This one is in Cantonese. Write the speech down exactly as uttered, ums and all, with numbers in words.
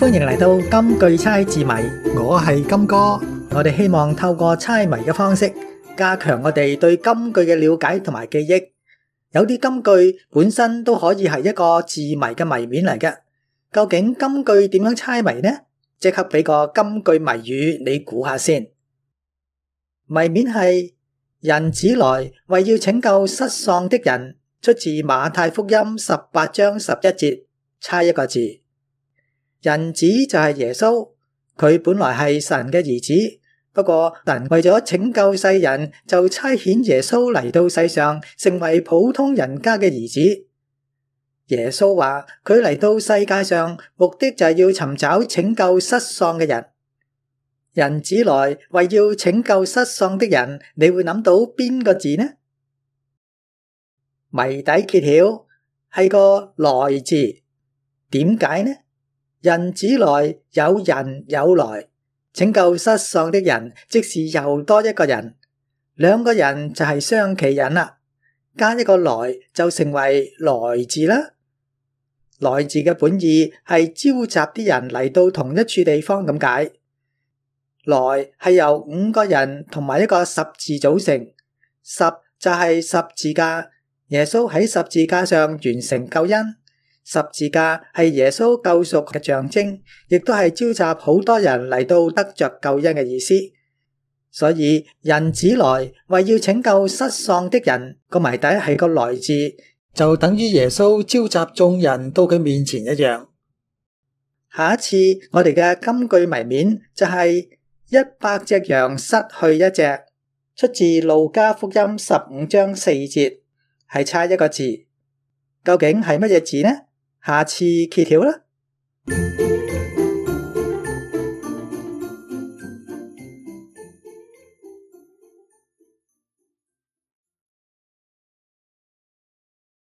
歡迎嚟到金句猜字謎，我係金哥。我哋希望透過猜謎嘅方式，加強我哋對金句嘅了解同埋記憶。有啲金句本身都可以係一個字謎嘅謎面嚟嘅。究竟金句點樣猜謎呢？即刻俾個金句謎語你估下先。謎面係人子來為要拯救失喪的人，出自馬太福音十八章十一節。猜一個字。人子就係耶穌，佢本來係神嘅兒子，不過神為咗拯救世人，就差遣耶穌嚟到世上，成為普通人家嘅兒子。耶穌話佢嚟到世界上，目的就係要尋找拯救失喪嘅人。人子來為要拯救失喪的人，你會諗到邊個字呢？謎底揭曉係個來字，點解呢？人子來，有人有來，拯救失喪的人，即是又多一個人，兩個人就係雙企人啦，加一個來就成為來字啦。來字嘅本意係召集啲人嚟到同一處地方咁解。來係由五個人同埋一個十字組成，十就係十字架，耶穌喺十字架上完成救恩。十字架係耶穌救贖嘅象徵，亦都係召集好多人嚟到得着救恩嘅意思。所以人子來為要拯救失喪的人，個謎底係個來字，就等於耶穌召集眾人到佢面前一樣。下一次我哋嘅金句謎面就係一百隻羊失去一隻，出自路加福音十五章四節，係猜一個字。究竟係乜嘢字呢？下次揭曉啦。